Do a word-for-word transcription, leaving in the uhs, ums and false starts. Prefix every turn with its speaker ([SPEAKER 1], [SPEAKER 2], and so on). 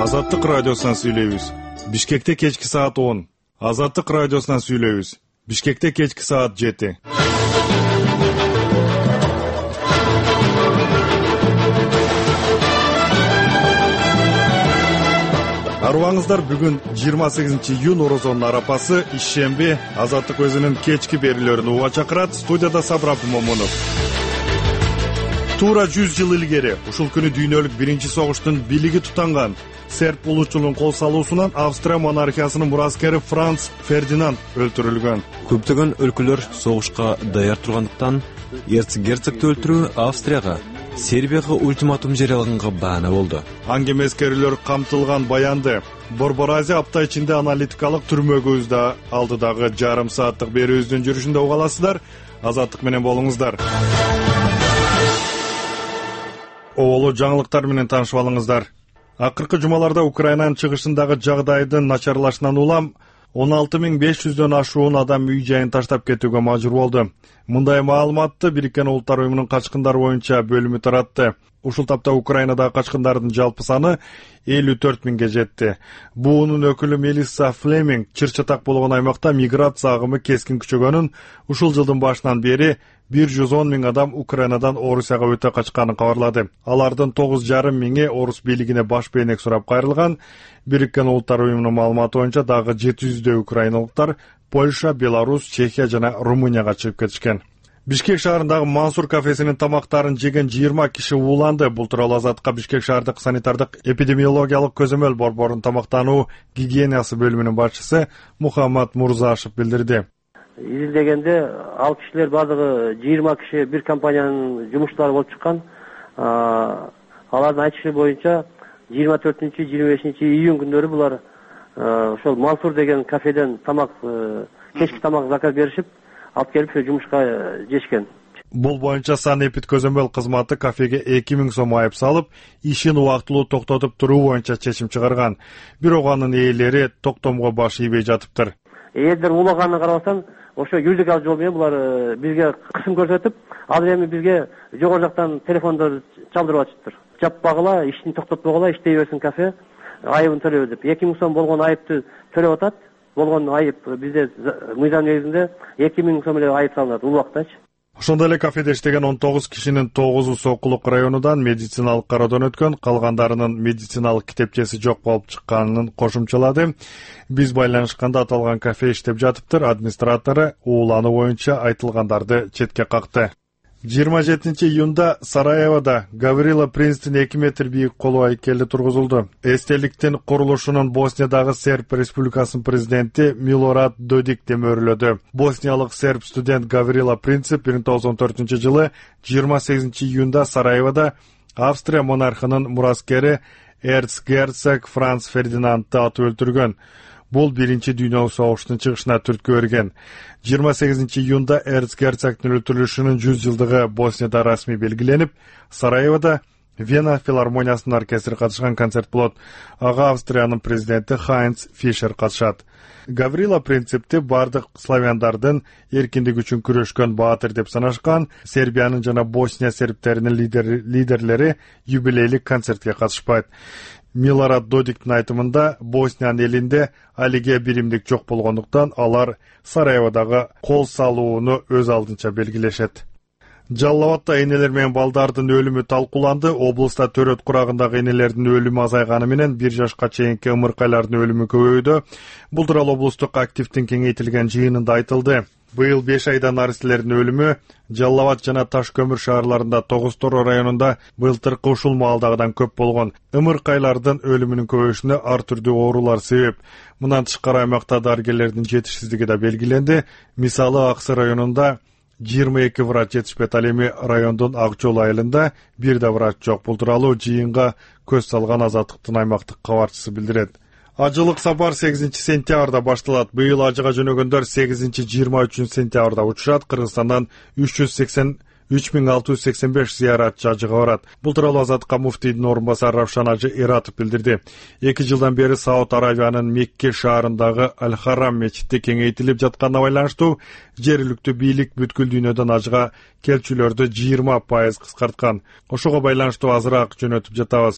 [SPEAKER 1] Азаттык радиосунан сүйлөйбүз. Бишкекте кечки саат он. Азаттык радиосунан сүйлөйбүз. Бишкекте кечки саат жети. Арыбаңыздар, бүгүн жыйырма сегизинчи июнь орозонун арапасы, ишемби. Азаттык өзүнүн кечки берүүлөрүн уга чакырат. Студияда Сабыр Момунов. Туура жүз жыл илгери ушул күнү дүйнөлүк биринчи согуштун бийлиги тутанган серб улутчулунун кол салуусунан Австрия монархиясынын мураскери Франц Фердинанд өлтүрүлгөн.
[SPEAKER 2] Көптөгөн өлкөлөр согушка даяр тургандыктан эрцгерцогду өлтүрүү Австрияга, Сербияга ультиматум жарыялаганга баана болду.
[SPEAKER 1] Аңгемескерлер камтылган баянды Борбор Азия апта ичинде аналитикалык түрмөгүбүздө алдыдагы жарым сааттык берүүбүздүн жүрүшүндө уга аласыздар. Азаттык менен болуңуздар. Оолу жаңылыктар менен таанышып алыңыздар. Акыркы жумаларда Украинанын чыгышындагы жагдайдын начарлашынан улам он алты миң беш жүздөн ашуун адам үй жайын таштап кетүүгө мажбур болду. Мындай маалыматты Бириккен Улуттар уюмунун качкындар боюнча бөлүмү таратты. Ушул тапта Украинадагы качкындардын жалпы саны элүү төрт миңге жетти. Буунун өкүлү Мелисса Флеминг чыр-чатак болгон аймакта миграция агымы кескин күчөгөнүн, ушул жылдын башынан бери бир жүз он миң адам Украинадан Орусияга өтө качканын кабарлады. Алардын тогуз жарым миңи орус бийлигине баш бейнек сурап кайрылган. Бириккен Улуттар уюмунун маалыматы боюнча дагы жети жүздөй украиналыктар Польша, Беларусь, Чехия жана Румынияга чыгып кетишкен. Бишкек шаарындагы Мансур кафесинин тамактарын жеген жыйырма киши ууланды. Бул тууралуу Азаттыкка Бишкек шаардык санитардык эпидемиологиялык көзөмөл борборунун тамактануу гигиенасы бөлүмүнүн башчысы Мухаммад Мурзашев билдирди.
[SPEAKER 3] Изилдегенде ал кишилер бардыгы жыйырма киши бир компаниянын жумушчулары болуп чыккан. Алардын айтышы боюнча жыйырма төртүнчү жыйырма бешинчи июнь күндөрү булар ошол Мансур деген кафеден тамак, кечки тамак заказ беришип, алып келип жумушка жешкен.
[SPEAKER 1] Бул боюнча санэпид көзөмөл кызматы кафеге эки миң сом айып салып, ишин убактылуу токтотуп туруу боюнча чечим чыгарган. Бирок анын ээлери токтомго баш ийбей жатыптыр.
[SPEAKER 3] Ээлдер улаганына карабастан, ошо юридикалык жол менен булар бизге кысым көрсөтүп, азыр эми бизге жогору жактан телефондор чалдырып атышыптыр. Жаппагыла, ишин токтотпогула, иштей берсин кафе, айыбын төлөбү деп. эки миң сом болгон айыпты төлөп атат. Болгон айып бизде мыйзам негизинде эки миң сом эле айып салынат убактачы.
[SPEAKER 1] Ошондой эле кафеде иштеген он тогуз кишинин тогузу Сокулук районунан медициналык кароодон өткөн, калгандарынын медициналык китепчеси жок болуп чыкканын кошумчалады. Биз байланышканда аталган кафе иштеп жатыптыр. Администратору уулануу боюнча айтылгандарды четке какты. жыйырма жетинчи июнда Сараевода Гаврила Принцтин эки метр бийик коло айкели тургузулду. Эстеликтин курулушунун Босниядагы Серб Республикасынын президенти Милорад Додик демөрлөдү. Босниялык серб студент Гаврила Принц бир миң тогуз жүз он төртүнчү жылы жыйырма сегизинчи июнда Сараевода Австрия монархынын мураскери эрцгерцог Франц Фердинандды атып өлтүргөн. Бул биринчи дүйнөлүк согуштун чыгышына түрткү берген. жыйырма сегизинчи июнда эрцгерцогдун өлтүрүлүшүнүн жүз жылдыгы Боснияда расмий белгиленип, Сараевода Вена филармониясынын оркестри катышкан концерт болот. Ага Австриянын президенти Хайнц Фишер катышат. Гаврила Принципти бардык славяндардын эркиндик үчүн күрөшкөн баатыр деп санашкан. Сербиянын жана Босния сербтеринин лидер, лидерлери юбилейлик концертке катышпайт. Милорад Додиктин айтымында Босниянын элинде алиге биримдик жок болгондуктан алар Сараеводагы кол салууну өз алдынча белгилешет. Жалал Абадта энелер менен балдардын өлүмү талкууланды. Облуста төрөт курагындагы энелердин өлүмү азайганы менен бир жашка чейинки ымыркайлардын өлүмү көбөйдү. Бул тууралуу облустук активдин кеңейтилген жыйынында айтылды. Быйыл беш айда наристелердин өлүмү Жалал Абад жана Таш көмүр шаарларында тогуз Торо районунда былтыркы ушул маалдагыдан көп болгон. Ымыркайлардын өлүмүнүн көбөйүшүнө ар түрдүү оорулар себеп. Мындан тышкары аймакта дарыгерлердин жетишсиздиги да белгиленди. Мисалы Аксы районунда жыйырма эки врач жетишпейт, ал эми райондун Ак жол айылында бир да врач жок. Бул тууралуу жыйынга көз салган Азаттыктын аймактык кабарчысы билдирет. Ажылык сапар сегизинчи сентябрда башталат. Быйыл ажыга жөнөгөндөр сегизинчи жыйырма үчүнчү сентябрда учурат. Кыргызстандан үч жүз сексен үч миң алты жүз сексен беш зыяратчы ажыга барат. Бул тууралуу Азаттыкка муфтийдин орун басары Равшан Ажы Эратов билдирди. эки жылдан бери Сауд Аравиянын Мекке шаарындагы Аль-Харам мечити кеңейтилип жатканына байланыштуу жергиликтүү бийлик бүткүл дүйнөдөн ажыга келчүлөрдү жыйырма пайыз кыскарткан. Ошого байланыштуу азыраак жөнөтүп жатабыз.